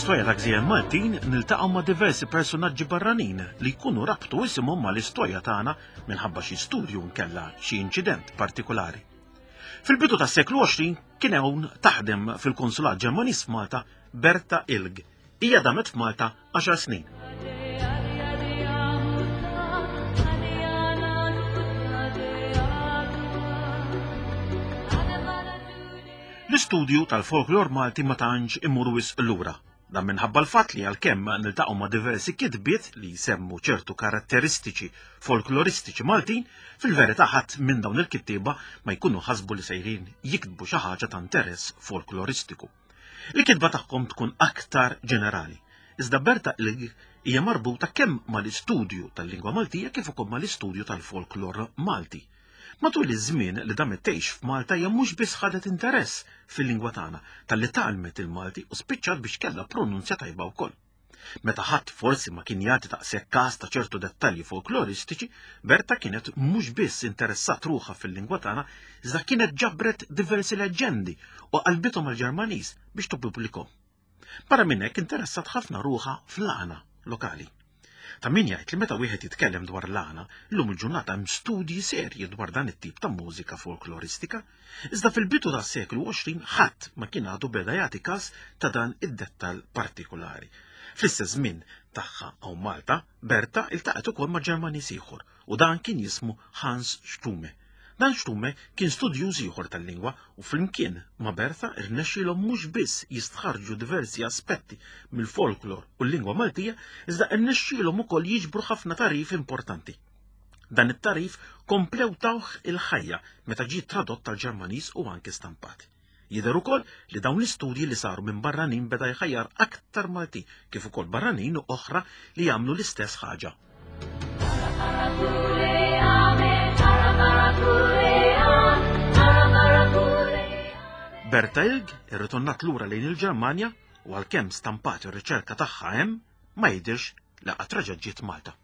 Fl-istorja ta' gżejjer Maltin niltaqgħu ma' diversi personaġġi barranin li jkunu rabtu isimhom mal-istorja tagħna minħabba xi studju nkella xi inċident partikolari. Fil-bidu tas-seklu 20 kien hawn taħdem fil-Konsulat Ġermaniż f'Malta Berta Ilg. Hija damet f'Malta 10 snin. L-istudju tal-folklor Malti ma tantx imur wisq lura. Dan minħabba l-fatt li għalkemm niltaqgħu ma' diversi kitbiet li jsemmu ċertu karatteristiċi folkloristiċi Maltin, fil-verità ħadd minn dawn il-kittieba ma jkunu ħasbu li sejrin jiktbu xi ħaġa ta' interess folkloristiku. Il-kitba tagħhom tkun aktar ġenerali. Iżda Berta Ilg hija marbuta kemm mal-istudju tal-lingwa Maltija kif ukoll mal-istudju tal-folklor Malti. Matul iż-żmien li damet tgħix f'Malta hija mhux biss ħadet interess fil-lingwa tagħna, talli tgħallmet il-Malti u spiċċat biex kellha pronunzja tajba wkoll. Meta ħadd forsi ma kien jagħti daqshekk każ ta' ċertu dettalji folkloristiċi, Berta kienet mhux biss interessat ruħha fil-lingwa tagħna, iżda kienet ġabret diversi leġġendi u qalbithom għall-Ġermaniż biex tippubblikhom. Barra minn hekk interessat ħafna ruħha fl-għana lokali. Ta' min jgħid li meta wieħed jitkellem dwar l-għana, llum il-ġurnata hemm studji serji dwar dan it-tip ta' mużika folkloristika. Iżda fil-bidu tas-seklu 20 ħadd ma kien għadu beda jagħti każ ta' dan id-dettall partikulari. Fl-istess żmien tagħha hawn Malta, Berta iltaqgħet ukoll ma' Ġermaniż ieħor u dan kien jismu Hans Stumme. Dan Stumme kien studjuż ieħor tal-lingwa u flimkien ma' Bertha rnexxielhom mhux biss jistħarrġu diversi aspetti mill-folklor u l-lingwa Maltija, iżda rnexxielhom ukoll jiġbru ħafna tagħrif importanti. Dan it-tagħrif komplew tawh il-ħajja meta ġie tradott għall-Ġermaniż u anke stampat. Jidher ukoll li dawn l-istudji li saru minn barranin beda jħajjar aktar Maltin kif ukoll barranin oħra li jagħmlu l-istess ħaġa. Berta Ilg irritornat lura lejn il-Ġermanja u għalkemm stampat ir-riċerka tagħha hemm, ma jidhirx li qatt reġgħet ġiet Malta.